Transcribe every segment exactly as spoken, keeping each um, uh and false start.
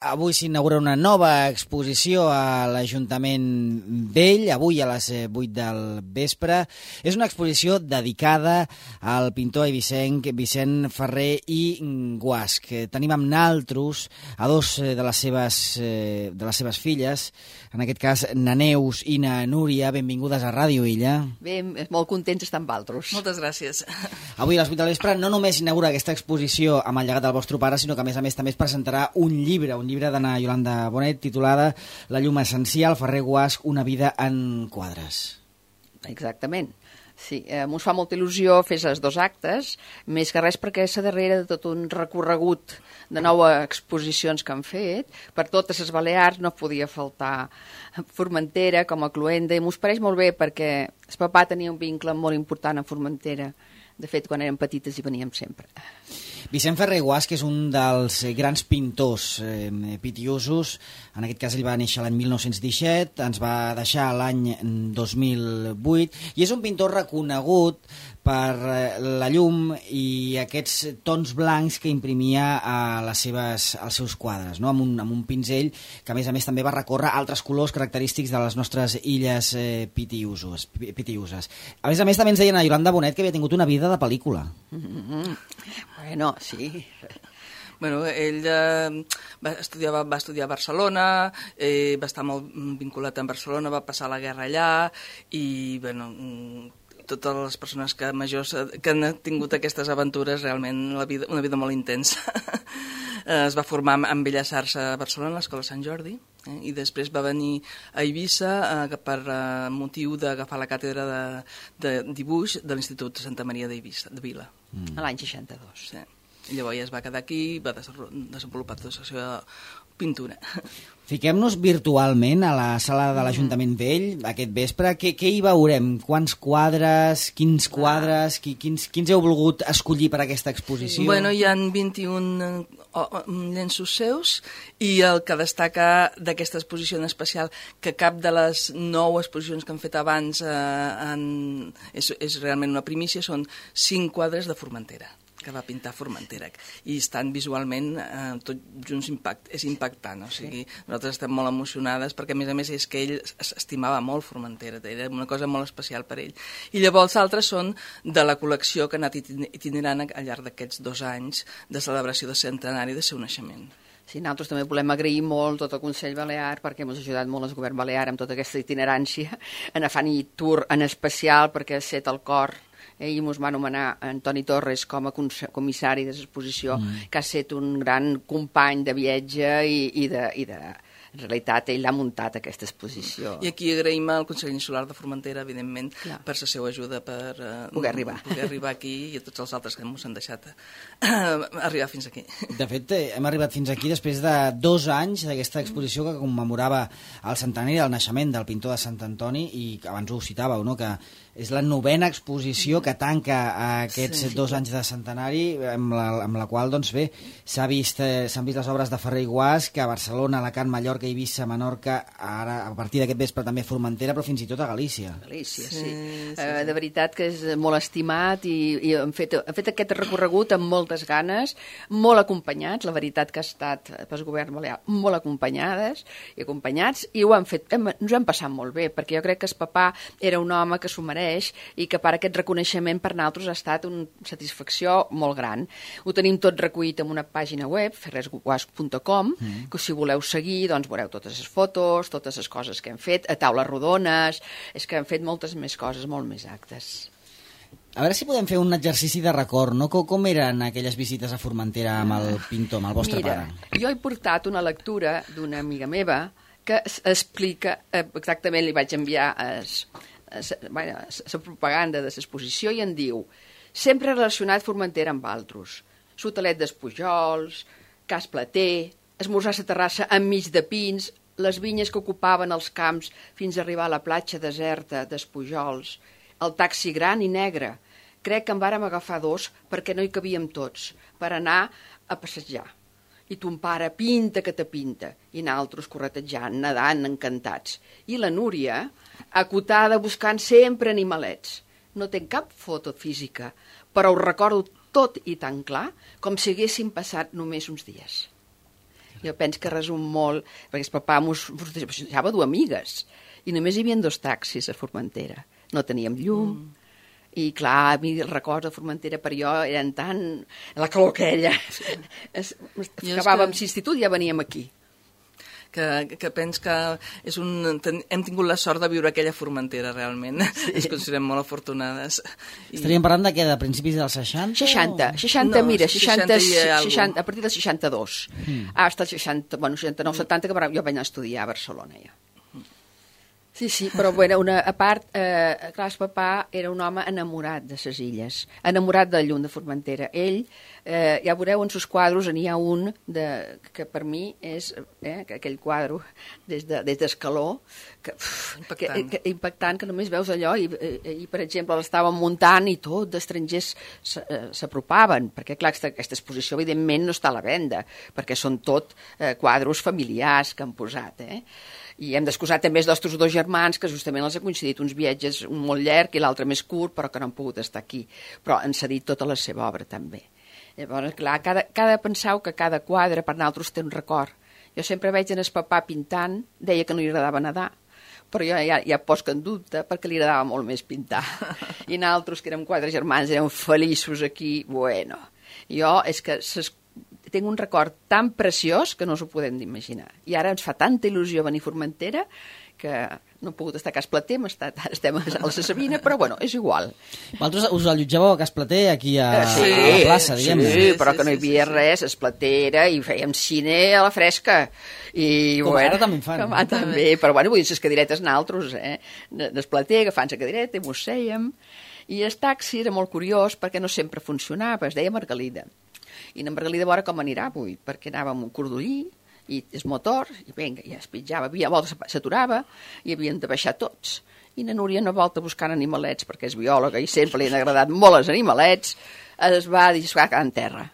Avui s'inaugura una nova exposició a l'Ajuntament Vell, avui a les vuit del vespre. És una exposició dedicada al pintor eivissenc Vicent Ferrer i Guasch. Tenim amb naltros a dos de les seves, de les seves filles, en aquest cas na Neus i na Núria. Benvingudes a Ràdio Illa. Bé, molt contents d'estar amb altres. Moltes gràcies. Avui a les vuit del vespre no només inaugura aquesta exposició amb el llegat del vostre pare, sinó que a més a més també es presentarà un llibre, un llibre d'Anna Iolanda Bonet, titulada La llum essencial, Ferrer Guasch, una vida en quadres. Exactament. Sí, eh, mos fa molta il·lusió fer els dos actes, més que res perquè és a darrere de tot un recorregut de noves exposicions que han fet. Per totes les Balears no podia faltar Formentera com a cluenda, i mos pareix molt bé perquè el papà tenia un vincle molt important a Formentera. De fet, quan érem petites hi veníem sempre. Vicent Ferrer i Guasch és un dels grans pintors eh, pitiusos. En aquest cas ell va néixer l'any mil nou-cents disset, ens va deixar l'any dos mil vuit, i és un pintor reconegut per la llum i aquests tons blancs que imprimia a les seves, als seus quadres, no? amb, un, amb un pinzell que a més a més també va recórrer altres colors característics de les nostres illes eh, pitiusos, pitiuses. A més a més també ens deien a Iolanda Bonet que havia tingut una vida de pel·lícula. Mm-hmm. Bueno, sí. Bueno, ell eh, va, estudiar, va, va estudiar a Barcelona, eh, va estar molt vinculat amb Barcelona, va passar la guerra allà i, bueno, totes les persones que majors que han tingut aquestes aventures, realment la vida, una vida molt intensa. Es va formar en Belles Arts a Barcelona, a l'Escola Sant Jordi, eh, i després va venir a Eivissa eh, per eh, motiu d'agafar la càtedra de, de dibuix de l'Institut de Santa Maria d'Eivissa, de Vila. Mm. A l'any seixanta-dos. Sí. I llavors ja es va quedar aquí, va desenvolupar tota la seva pintura. Fiquem-nos virtualment a la sala de l'Ajuntament Vell aquest vespre. Què, què hi veurem? Quants quadres? Quins quadres? Qui, quins, quins heu volgut escollir per aquesta exposició? Bueno, hi ha vint-i-un llenços seus, i el que destaca d'aquesta exposició en especial, que cap de les nou exposicions que han fet abans eh, en, és, és realment una primícia, són cinc quadres de Formentera, que va pintar Formentera, i estan visualment eh, tot junts impact, és impactant, o sigui, sí. Nosaltres estem molt emocionades perquè a més a més és que ell estimava molt Formentera, era una cosa molt especial per ell. I llavors altres són de la col·lecció que ha anat itinerant al llarg d'aquests dos anys de celebració de centenari de seu naixement. Sí, nosaltres també volem agrair molt tot el Consell Balear perquè ens ha ajudat molt el govern balear amb tota aquesta itinerància, en Afani Tour en especial perquè ha set el cor. Ell ens va anomenar Antoni Torres com a comissari de l'exposició, mm. que ha estat un gran company de viatge i, i, de, i de... En realitat, ell ha muntat aquesta exposició. I aquí agraïm al Consell Insular de Formentera, evidentment, Clar. per la seva ajuda per uh, poder arribar. poder arribar aquí, i a tots els altres que ens han deixat uh, arribar fins aquí. De fet, hem arribat fins aquí després de dos anys d'aquesta exposició que commemorava el centenari del naixement del pintor de Sant Antoni, i abans ho citàveu, no?, que és la novena exposició que tanca aquests sí, dos anys de centenari, amb la, amb la qual, doncs bé, s'han vist, eh, s'han vist les obres de Ferrer i Guasch, que a Barcelona, Alacant, Mallorca, Eivissa, Menorca, ara a partir d'aquest vespre també Formentera, però fins i tot a Galícia. Galícia, sí. sí, sí, sí. Uh, de veritat que és molt estimat, i, i hem, fet, hem fet aquest recorregut amb moltes ganes, molt acompanyats, la veritat que ha estat pel govern balear molt acompanyades i acompanyats, i ho han fet, hem, ens ho hem passat molt bé, perquè jo crec que el papà era un home que s'ho mereix, i que per aquest reconeixement per nosaltres ha estat una satisfacció molt gran. Ho tenim tot recollit en una pàgina web, ferrer guasch punt com, mm. que si voleu seguir, doncs veureu totes les fotos, totes les coses que hem fet, a taules rodones, és que hem fet moltes més coses, molt més actes. A veure si podem fer un exercici de record, no? Com, com eren aquelles visites a Formentera amb el pintor, amb el vostre Mira, pare? Jo he portat una lectura d'una amiga meva que explica, eh, exactament li vaig enviar es, es, bueno, la propaganda de l'exposició, i en diu: sempre relacionat Formentera amb altres, l'hotelet dels Pujols, Cas Plater, esmorzar a la terrassa enmig de pins, les vinyes que ocupaven els camps fins a arribar a la platja deserta dels Pujols, el taxi gran i negre. Crec que en vàrem agafar dos perquè no hi cabíem tots, per anar a passejar. I ton pare pinta que te pinta, i naltros corretejant, nedant, encantats. I la Núria, acotada buscant sempre animalets. No té cap foto física, però ho recordo tot i tan clar com si haguessin passat només uns dies. Jo penso que resum molt, perquè el papà mos, mos deixava dur amigues, i només hi havia dos taxis a Formentera. No teníem llum, mm. i clar, a mi els records de Formentera per jo eren tan... la calor aquella. Sí. Acabàvem que... l'institut i ja veníem aquí. Que, que pens que és un, ten, hem tingut la sort de viure aquella Formentera, realment. Sí. Ens considerem molt afortunades. I... Estaríem parlant de què? De principis dels seixanta? seixanta, seixanta, no, mira, seixanta, seixanta, seixanta, a partir del seixanta-dos. Mm. Hasta el seixanta, bueno, seixanta-nou, setanta, que jo vaig anar a estudiar a Barcelona, ja. Sí, sí, però bueno, una, a part, eh, clar, el papà era un home enamorat de ses illes, enamorat de llum de Formentera. Ell, eh, ja veureu en sus quadros, n'hi ha un de, que per mi és eh, aquell quadre des d'Escaló, de, que, impactant. Que, que, impactant, que només veus allò, i, i, i per exemple l'estàvem muntant i tot d'estrangers s'apropaven, perquè clar, aquesta, aquesta exposició evidentment no està a la venda, perquè són tot eh, quadros familiars que han posat, eh? I hem d'excusar també els nostres dos germans, que justament els ha coincidit uns viatges, un molt llarg i l'altre més curt, però que no han pogut estar aquí. Però han cedit tota la seva obra, també. Llavors, clar, cada, cada, penseu que cada quadre per nosaltres té un record. Jo sempre veig en el papà pintant, deia que no li agradava nedar, però jo ja, ja poso en dubte perquè li agradava molt més pintar. I nosaltres, que érem quatre germans, érem feliços aquí, bueno. Jo és que ses tinc un record tan preciós que no us ho podem imaginar. I ara ens fa tanta il·lusió venir a Formentera que no he pogut estar a Cas Plater, estat, estem a la Sabina, però bueno, és igual. Vosaltres us allotjàveu a Cas Plater, aquí a, sí, a la plaça, diguem-ne. Sí, però que no hi havia sí, sí, res, es Platera, i fèiem cine a la fresca. I, com bueno, ara també en fan. Com ara també, però bueno, vull dir, les cadiretes naltros, eh? Des Plater, agafant la cadireta i mos sèiem. I el taxi era molt curiós perquè no sempre funcionava, es deia Margalida. I en Margalida a veure com anirà avui, perquè anàvem un cordollí i el motor, i vinga, ja es pitjava, havia volta s'aturava i havien de baixar tots. I na Núria no volta buscant animalets, perquè és biòloga i sempre li han agradat molt els animalets, es va dir, es va quedar en terra.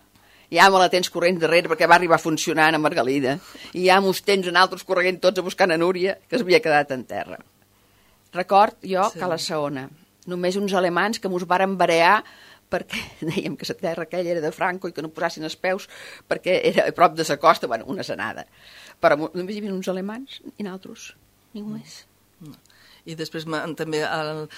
Ja me la tens corrent darrere perquè va arribar funcionant a Margalida, i ja mos tens en altres corrent tots a buscar na Núria, que s'havia quedat en terra. Record jo sí. que a la segona, només uns alemans que mos varen barear perquè dèiem que la terra aquella era de Franco i que no posassin els peus perquè era a prop de la costa, bueno, una senada. Però només hi havia uns alemans i nosaltres, ningú més. No. I després també al,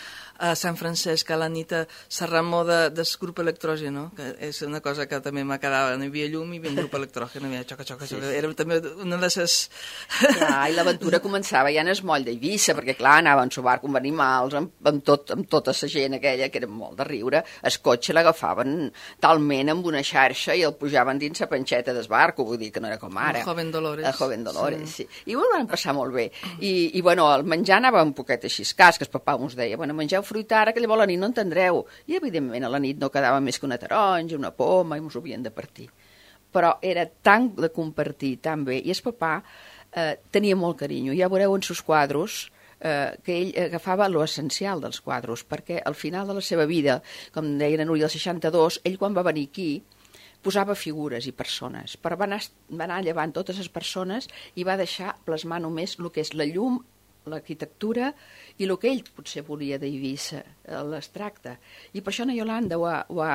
a Sant Francesc, a la nit, Serramó de, del grup electrògeno, que és una cosa que també m'acabava, no hi havia llum i hi havia un grup electrògeno, hi havia xoca, xoca, xoca. Sí, sí. Era també una de les... Clar, i l'aventura començava ja en el moll d'Eivissa, perquè clar, anaven a barco amb animals, amb, amb, tot, amb tota la gent aquella, que era molt de riure, el cotxe l'agafaven talment amb una xarxa i el pujaven dins la panxeta del barco, vull dir que no era com ara. El Joven Dolores. El Joven Dolores, sí. sí. I ho van passar molt bé. I, i bueno, el menjar anava un poquet així escàs, que el papà ens deia, bueno, mengeu fruita ara, que llavors a la nit no entendreu. I evidentment a la nit no quedava més que una taronja, una poma, i ens ho havien de partir. Però era tan de compartir, tan bé. I el papà eh, tenia molt carinyo. Ja veureu en sus quadros eh, que ell agafava l'essencial dels quadros, perquè al final de la seva vida, com deia la Núria del seixanta-dos, ell quan va venir aquí posava figures i persones, però va anar, va anar llevant totes les persones i va deixar plasmar només el que és la llum, l'arquitectura i el que ell potser volia d'Eivissa, l'extracte. I per això na Iolanda ho ha... Ho ha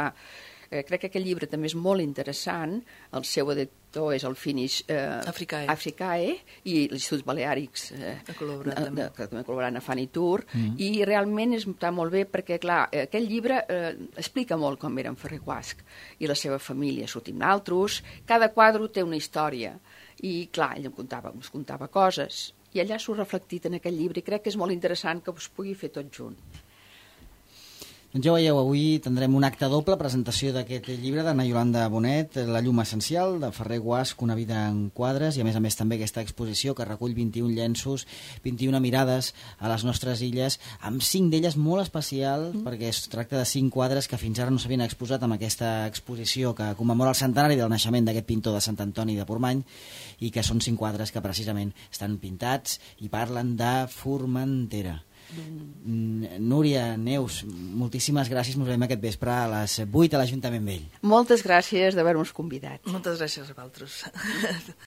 eh, crec que aquest llibre també és molt interessant, el seu editor és el Finish eh, Africae. Africae i l'Institut Baleàrics eh, que col·laborat de, també. Que també col·laborat a Fanny Tour, mm. i realment està molt bé perquè, clar, aquest llibre eh, explica molt com era en Ferrer Guasch i la seva família, sortim naltros, cada quadre té una història, i clar, ell em contava, ens contava coses, i allà s'ho reflectit en aquest llibre i crec que és molt interessant que us pugui fer tot junt. Doncs ja veieu, avui tindrem un acte doble, presentació d'aquest llibre d'Anna Iolanda Bonet, La llum essencial, de Ferrer Guasch, Una vida en quadres, i a més a més també aquesta exposició que recull vint-i-un llenços, vint-i-una mirades a les nostres illes, amb cinc d'elles molt especial, mm. perquè es tracta de cinc quadres que fins ara no s'havien exposat amb aquesta exposició que commemora el centenari del naixement d'aquest pintor de Sant Antoni de Portmany, i que són cinc quadres que precisament estan pintats i parlen de Formentera. Mm. Núria, Neus, moltíssimes gràcies. Ens veiem aquest vespre a les vuit a l'Ajuntament Vell. Moltes gràcies d'haver-nos convidat. Moltes gràcies a vosaltres.